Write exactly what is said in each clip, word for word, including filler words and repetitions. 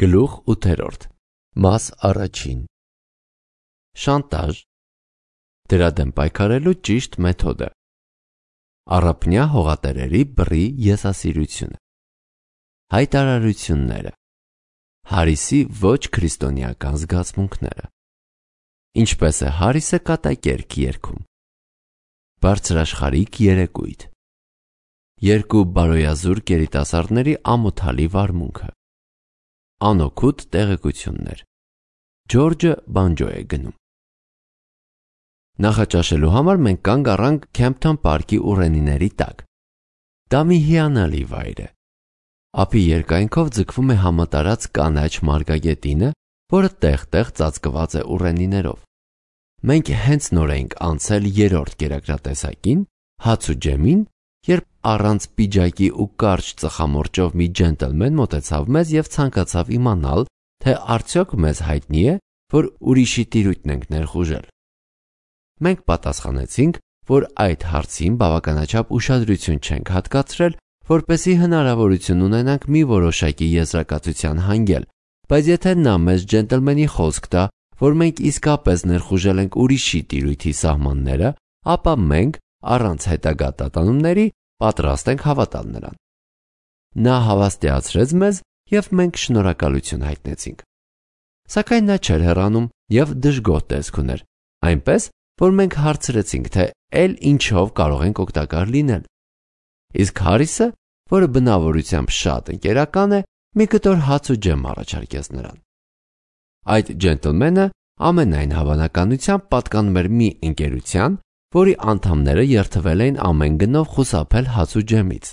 Գլուխ ութերորդ Մաս առաջին Շանտաժ Դրա դեմ պայքարելու ճիշտ մեթոդը Առափնյա հողատերերի բռի եսասիրությունը Հայտարարությունները Հարիսի ոչ քրիստոնեական զգացմունքները Ինչպես է Հարիսը կատակերգ երգում Բարձրաշխարհիկ երեկույթ Երկու բարոյազուրկ երիտասարդների ամոթալի վարմունքը Անօգուտ տեղեկություններ Ջորջը բանջո է գնում Նախաճաշելու համար մենք կանգ առանք Քեմփթոն պարկի ուռենիների տակ Դա մի հիանալի վայր է Ափի երկայնքով ձգվում է համատարած կանաչ մարգագետինը, որը տեղ-տեղ ծածկված է ուռենիներով Մենք հենց նոր էինք անցել երրորդ կերակրատեսակին, հաց ու ջեմին, երբ առանց պիջակի ու կարճ ծխամորճով մի ջենտլմեն մոտեցավ մեզ և ցանկացավ իմանալ, թե արդյոք մեզ հայտնի է, որ ուրիշի տիրույթն ենք ներխուժել։ Մենք պատասխանեցինք, որ այդ հարցին բավականաչափ ուշադրություն չենք հատկացրել, որպեսզի հնարավորություն ունենանք մի որոշակի եզրակացության հանգել, բայց եթե նա մեզ ջենտլմենի խոսք տա, որ մենք իսկապես ներխուժել ենք ուրիշի տիրույթի սահմանները, ապա մենք առանց հետագա տատանումների պատրաստ ենք հավատալ նրան։ Նա հավաստիացրեց մեզ և մենք շնորհակալություն հայտնեցինք։ Սակայն նա չէր հեռանում և դժգոհ տեսք ուներ, այնպես, որ մենք հարցրեցինք, թե էլ ինչով կարող ենք օգտակար լինել։ Իսկ Հարիսը, որը բնավորությամբ շատ ընկերական է, մի կտոր հաց ու ջեմ առաջարկեց նրան։ Այդ ջենտլմենը ամենայն հավանականությամբ պատկանում էր մի ընկերության, որի անդամները երդվել էին ամեն գնով խուսափել հաց ու ջեմից։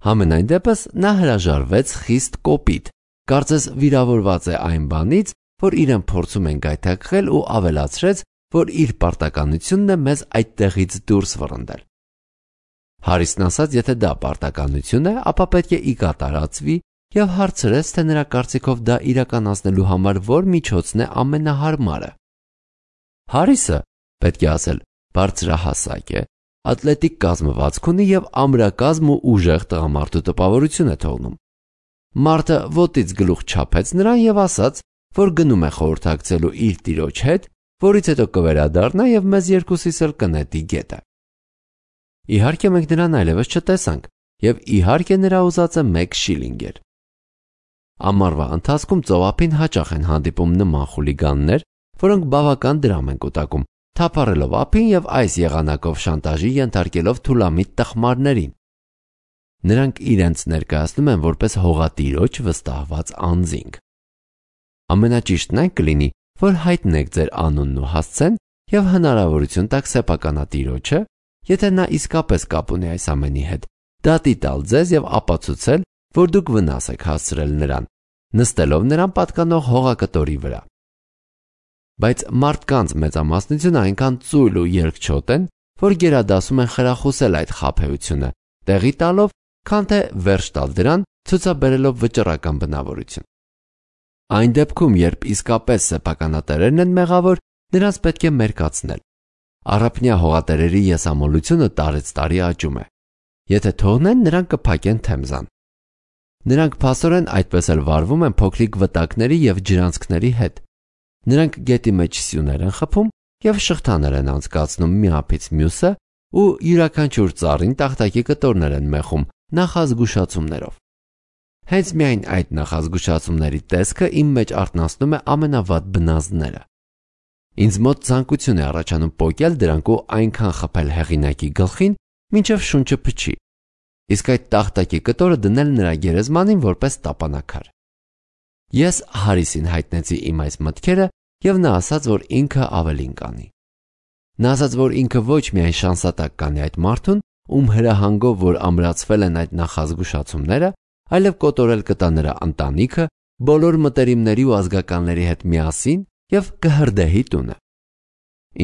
Համենայն դեպս նա հրաժարվեց խիստ կոպիտ, կարծես վիրավորված է այն բանից, որ իրեն փորձում են գայթակղել ու ավելացրեց, որ իր պարտականությունն է մեզ այդտեղից դուրս վռնդել։ Հարիսն ասաց, եթե դա պարտականություն է, ապա պետք է ի կատարածվի և հարցրեց, թե նրա կարծիքով դա իրականացնելու համար որ միջոցն է ամենահարմարը։ Հարիսը, պետք է ասել, բարձրահասակ է, ատլետիկ կազմվածք ունի և ամրակազմ ու ուժեղ տղամարդու տպավորություն է թողնում։ Մարդը ոտից գլուխ չափեց նրան և ասաց, որ գնում է խորհրդակցելու իր տիրոջ հետ, որից հետո կվերադառնա և մեզ երկուսիս էլ կնետի գետը։ Իհարկե մենք նրան այլևս չտեսանք և իհարկե նրա ուզածը մեկ շիլինգ էր։ Ամառվա ընթացքում ծովափին հաճախ են հանդիպում նման խուլիգաններ, որոնք բավական դրամ են կուտակում, թափառելով ափին և այս եղանակով շանտաժի ենթարկելով թուլամիտ տխմարներին։ Նրանք իրենց ներկայացնում են որպես հողատիրոջ վստահված անձինք։ Ամենաճիշտն այն կլինի, որ հայտնեք ձեր անունն ու հասցեն և հնարավորություն տաք սեփականատիրոջը, եթե նա իսկապես կապ ունի այս ամենի հետ, դատի տալ ձեզ և ապացուցել, որ դուք վնաս եք հասցրել նրան, նստելով նրան պատկանող հողակտորի վրա։ Բայց մարդկանց մեծամասնությունը այնքան ծույլ ու երկչոտ են, որ գերադասում են խրախուսել այդ խաբեությունը, տեղի տալով, քան թե վերջ տալ դրան, ցուցաբերելով վճռական բնավորություն։ Այն դեպքում, երբ իսկապես սեփականատերերն են մեղավոր, նրանց պետք է մերկացնել։ Առափնյա հողատերերի եսամոլությունը տարեց տարի աճում է։ Եթե թողնեն, նրանք կփակեն Թեմզան։ Նրանք փաստորեն այդպես էլ վարվում են փոքրիկ վտակների և ջրանցքների հետ։ Նրանք գետի մեջ սյուներ են խփում և շղթաներ են անցկացնում մի ափից մյուսը ու յուրաքանչյուր ծառին տախտակի կտորներ են մեխում նախազգուշացումներով։ Հենց միայն այդ նախազգուշացումների տեսքը իմ մեջ արթնացնում է ամենավատ բնազդները։ Ինձ մոտ ցանկություն է առաջանում պոկել դրանք ու այնքան խփել հեղինակի գլխին, մինչև շունչը փչի, իսկ այդ տախտակի կտորը դնել նրա գերեզմանին որպես տապանակար։ Ես Հարիսին հայտնեցի իմ այս մտքերը և նա ասաց, որ ինքը ավելին կանի։ Նա ասաց, որ ինքը ոչ միայն շանսատակ կանի այդ մարդուն, ում հրահանգով որ ամրացվել են այդ նախազգուշացումները, այլև կոտորել կտա նրա ընտանիքը, բոլոր մտերիմների ու ազգականների հետ միասին և կհրդեհի տունը։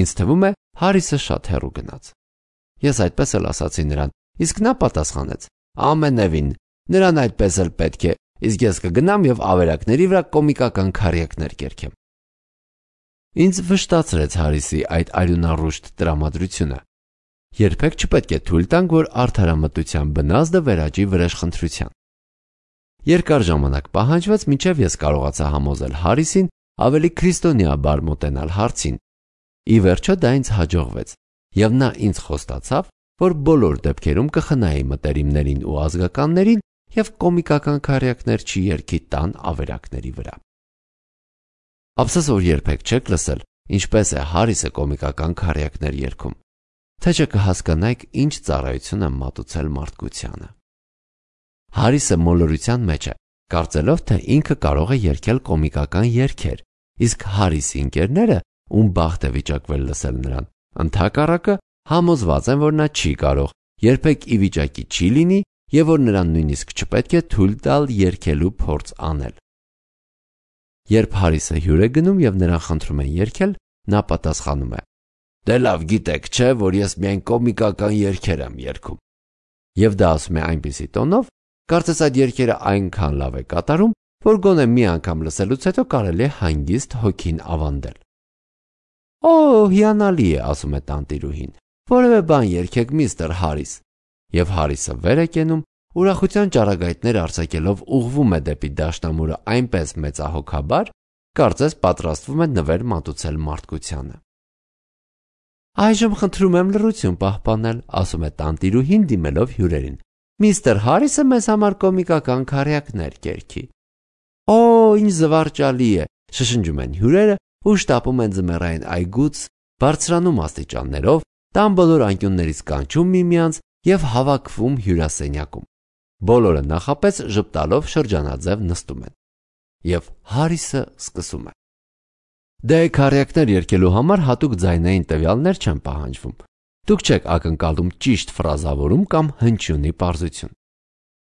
Ինձ թվում է, Հարիսը շատ հեռու գնաց։ Ես այդպես էլ ասացի նրան, իսկ նա պատասխանեց. ամենևին, նրան այդպես էլ պետք է, իսկ ես կգնամ և ավերակների վրա կոմիկական քարյակներ կերքեմ։ Ինձ վշտացրեց Հարիսի այդ արյունառուշտ տրամադրությունը։ Երբեք չպետք է թույլ տանք, որ արդարամտության բնազդը վերաճի վրեժխնդրության։ Երկար ժամանակ պահանջվեց, մինչև ես կարողացա համոզել Հարիսին ավելի քրիստոնեաբար մոտենալ հարցին։ Ի վերջո դա ինձ հաջողվեց, եւ նա ինձ խոստացավ, որ բոլոր դեպքերում կխնայի մտերիմներին ու ազգականներին եւ կոմիկական քարյակներ չի երգի տան ավերակների վրա։ Ափսոս, որ երբեք չեք լսել, ինչպես է Հարիսը կոմիկական քարյակներ երգում, թե չէ կհասկանայիք ինչ ծառայություն է մատուցել մարդկությանը։ Հարիսը մոլորության մեջ է, կարծելով, թե ինքը կարող է երգել կոմիկական երգեր, իսկ Հարիսի ընկերները, ում բախտ է վիճակվել լսել նրան, ընդհակառակը համոզված են, որ նա չի կարող, երբեք ի վիճակի չի լինի եւ որ նրան նույնիսկ չպետք է թույլ տալ երգելու փորձ անել։ Երբ Հարիսը հյուր է գնում եւ նրան խնդրում են երգել, նա պատասխանում է. «Դե լավ գիտեք, չէ, որ ես միայն կոմիկական երգեր եմ երգում»։ Եվ դա ասում է այնպիսի տոնով, կարծես այդ երգերը այնքան լավ է կատարում, որ գոնե մի անգամ լսելուց հետո կարելի է հանգիստ հոգին ավանդել։ «Օ, հիանալի է», ասում է տանտիրուհին, «որևէ բան երգեք, միստր Հարիս»։ Եվ Հարիսը վեր է կենում, ուրախության ճառագայթներ արձակելով ուղղվում է դեպի դաշնամուրը այնպես մեծահոգաբար, կարծես պատրաստվում է նվեր մատուցել մարդկությանը։ «Այժմ խնդրում եմ լռություն պահպանել», ասում է տանտիրուհին դիմելով հյուրերին։ «Միստր Հարիսը մեզ համար կոմիկական քարյակներ կերգի»։ «Օ, ինչ զվարճալի է», շշնջում են հյուրերը ու շտապում են ձմեռային այգուց, բարձրանում աստիճաններով, տան բոլոր անկյուններից կանչում միմյանց եւ հավաքվում հյուրասենյակում։ Բոլորը նախապես ժպտալով շրջանաձև նստում են։ Եվ Հարիսը սկսում է. «Դե քարյակներ երգելու համար հատուկ ձայնային տվյալներ չեն պահանջվում։ Դուք չեք ակնկալում ճիշտ ֆրազավորում կամ հնչյունի պարզություն։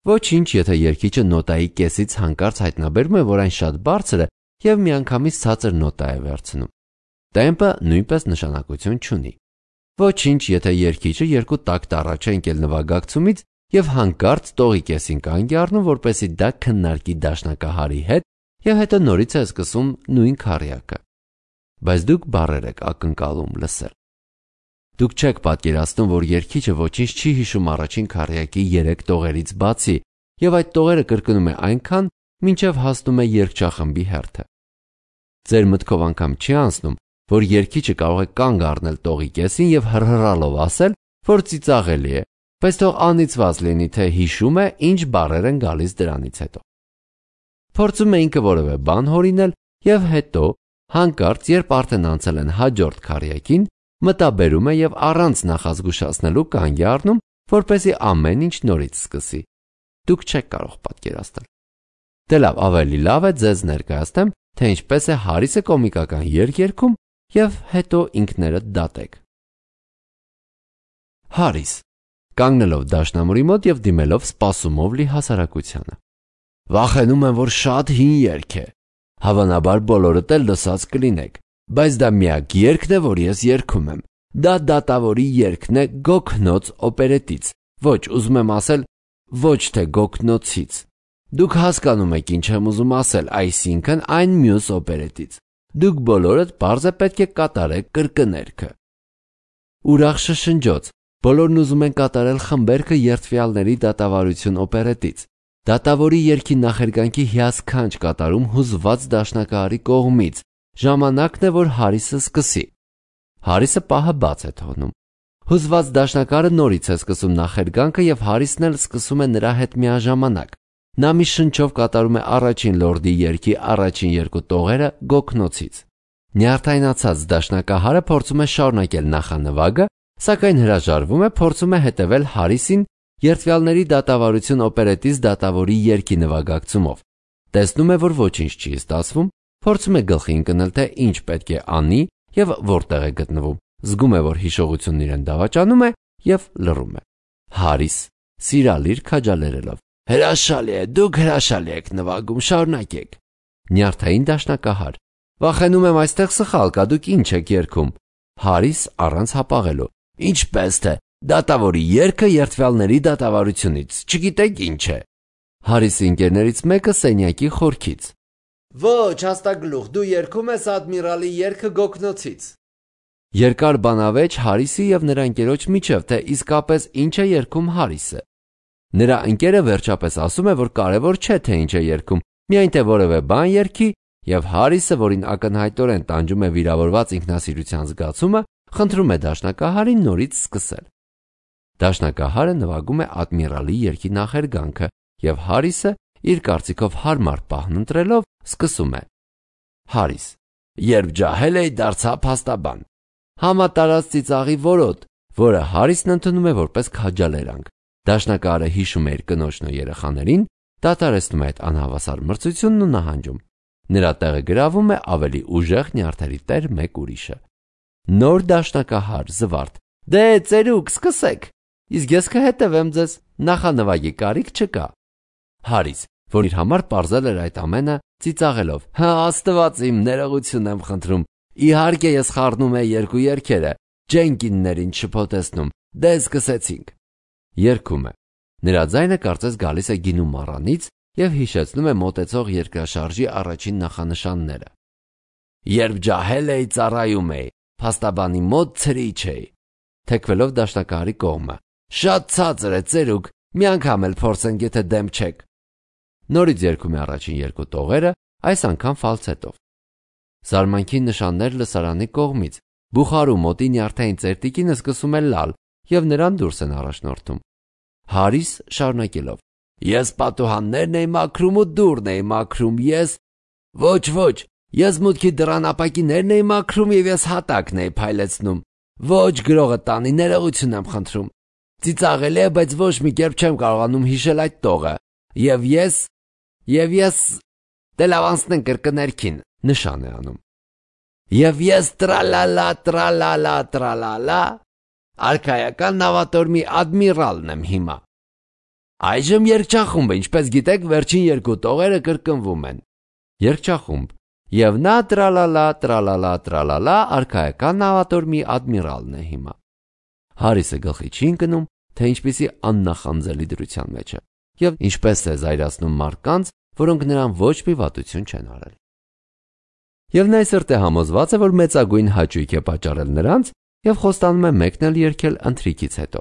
Ոչինչ, եթե երգիչը նոտայի կեսից հանկարծ հայտնաբերում է, որ այն շատ բարձր է եւ միանգամից ցածր նոտա է վերցնում։ Տեմպը նույնպես նշանակություն չունի։ Ոչինչ, եթե երգիչը երկու տակտ առաջ է ընկել նվագակցումից եւ հանկարծ տողի կեսին կանգ է առնում, որպեսզի դա քննարկի դաշնակահարի հետ եւ հետո նորից է սկսում նույն քարյակը։ Բայց դուք բառեր եք ակնկալում լսել։ Դուք չեք պատկերացնում, որ երգիչը ոչինչ չի հիշում առաջին քարյակի երեք տողերից բացի եւ այդ տողերը կրկնում է այնքան, մինչեւ հասնում է երգչախմբի հերթը։ Ձեր մտքով անգամ չի անցնում, որ երգիչը կարող է կանգ առնել տողի կեսին եւ հռհռալով ասել, որ ծիծաղելի է, բայց թող անիծված լինի, թե հիշում է ինչ բառեր են գալիս դրանից հետո։ Փորձում է ինքը որևէ բան հորինել եւ հետո հանկարծ, երբ արդեն անցել են հաջորդ քարյակին, մտաբերում է եւ առանց նախազգուշացնելու կանգ է առնում, որպեսզի ամեն ինչ նորից սկսի։ Դուք չեք կարող պատկերացնել։ Դե լավ, ավելի լավ է ձեզ ներկայացնեմ, թե ինչպես է Հարիսը կոմիկական երգ երգում եւ հետո ինքներդ դատեք։ Հարիս, կանգնելով դաշնամուրի մոտ եւ դիմելով սպասումով լի հասարակությանը։ Վախենում եմ, որ շատ հին երգ է։ Հավանաբար բոլորդ էլ լսած կլինեք, բայց դա միակ երգն է, որ ես երգում եմ։ Դա դատավորի երգն է Գոքնոց օպերետից։ Ոչ, ուզում եմ ասել, ոչ թե Գոքնոցից։ Դուք հասկանում եք ինչ եմ ուզում ասել, այսինքն այն մյուս օպերետից։ Դուք բոլորդ պարզ է պետք է կատարեք կրկներգը։ Ուրախ շշնջոց, բոլորն ուզում են կատարել խմբերգը երդվյալների դատավարություն օպերետից։ Դատավորի երգի նախերգանքի հիասքանչ կատարում հուզված դաշնակահարի կողմից։ Ժամանակն է, որ Հարիսը սկսի։ Հարիսը պահը բաց է թողնում։ Հուզված դաշնակահարը նորից է սկսում նախերգանքը եւ Հարիսն էլ սկսում է նրա հետ միաժամանակ։ Նա մի շնչով կատարում է առաջին լորդի երգի առաջին երկու տողերը Գոքնոցից։ Նյարդայնացած դաշնակահարը փորձում է շարունակել նախանվագը, սակայն հրաժարվում է, փորձում է հետևել Հարիսին երդվյալների դատավարություն օպերետից դատավորի երգի նվագակցումով։ Տեսնում է, որ ոչինչ չի ստացվում, փորձում է գլխի ընկնել, թե ինչ պետք է անի եւ որտեղ է գտնվում։ Զգում է, որ հիշողությունն իրեն դավաճանում է եւ լռում է։ Հարիս, սիրալիր քաջալերելով. Հրաշալի է, դուք հրաշալի եք նվագում, շարունակեք։ Նյարդային դաշնակահար. Վախենում եմ այստեղ սխալ կա, դուք ինչ եք երգում։ Հարիս առանց հապաղելու. Ինչպես թե դատավորի երգը երդվյալների դատավարությունից, չգիտեք ինչ է։ Հարիսի ընկերներից մեկը սենյակի խորքից. Ոչ, հաստագլուխ, դու երգում ես ադմիրալի երգը Գոքնոցից։ Երկար բանավեճ Հարիսի եւ նրա ընկերոջ միջև, թե իսկապես ինչ է երգում Հարիսը։ Նրա ընկերը վերջապես ասում է, որ կարևոր չէ թե ինչ է երգում, միայն թե որևէ բան երգի, եւ Հարիսը, որին ակնհայտորեն տանջում է վիրավորված ինքնասիրության զգացումը, խնդրում է դաշնակահարին նորից սկսել։ Դաշնակահարը նվագում է Ադմիրալի երգի նախերգանքը, եւ Հարիսը, իր կարծիքով հարմար պահն ընտրելով, սկսում է. Հարիս. Երբ ջահել էի, դարձա փաստաբան։ Համատարած ծիծաղի որոտ, որը Հարիսն ընդունում է որպես քաջալերանք։ Դաշնակահարը հիշում է իր կնոջն ու երեխաներին, դադարեցնում է այդ անհավասար մրցությունն ու նահանջում։ Նրա տեղը գրավում է ավելի ուժեղ նյարդերի տեր մեկ ուրիշը։ Նոր դաշնակահար, զվարթ. Դե ծերուկ, սկսեք, իսկ ես կհետևեմ ձեզ, նախանվագի կարիք չկա։ Հարիս, որ իր համար պարզել էր այդ ամենը, ծիծաղելով. Հա, Աստված իմ, ներողություն եմ խնդրում, իհարկե ես խառնում էի երկու երգերը, Ջենկիններին շփոթեցնում, դե սկսեցինք։ Երգում է։ Նրա ձայնը կարծես գալիս է գինու մառանից եւ հիշեցնում է մոտեցող երկրաշարժի առաջին նախանշանները։ Երբ ջահել էի, ծառայում էի, փաստաբանի մոտ ցրիչ էի։ Թեքվելով դաշնակահարի կողմը. Շատ ցածր է, ծերուկ, մի անգամ էլ փորձենք, եթե դեմ չեք։ Նորից երգում է առաջին երկու տողերը, այս անգամ ֆալցետով։ Զարմանքի նշաններ լսարանի կողմից։ Բուխարու մոտի նյարդային ծերտիկինը սկսում է լալ եւ նրան դուրս են առաջնորդում։ Հարիս շարունակելով. Ես պատուհաններն էի մաքրում ու դուռն էի մաքրում, ես Ոչ, ոչ, ես մուտքի դռան ապակիներն էի մաքրում եւ ես հատակն էի փայլեցնում։ Ոչ, գրողը տանի, ներողություն եմ խնդրում։ Ծիծաղելի է, բայց ոչ մի կերպ չեմ կարողանում հիշել այդ տողը։ Եվ ես Եվ ես Դե լավ անցնենք կրկներքին, նշան է անում։ Եվ ես տրալալա, տրալալա, տրալալա, արքայական նավատորմի ադմիրալն եմ հիմա։ Այժմ երգչախումբը, ինչպես գիտեք, վերջին երկու տողերը կրկնվում են։ Երգչախումբ. Եվ նա տրալալա, տրալալա, տրալալա, արքայական նավատորմի ադմիրալն է հիմա։ Հարիսը գլխի չի ընկնում, թե ինչպիսի աննախանձելի դրության մեջ է, եւ ինչպես է զայրացնում մարդկանց, որոնք նրան ոչ մի վատություն չեն արել։ Եվ նա այսօր է համոզված է, որ մեծագույն հաճույք է պատճառել նրանց եւ խոստանում է մեկնել երգել ընթրիքից հետո։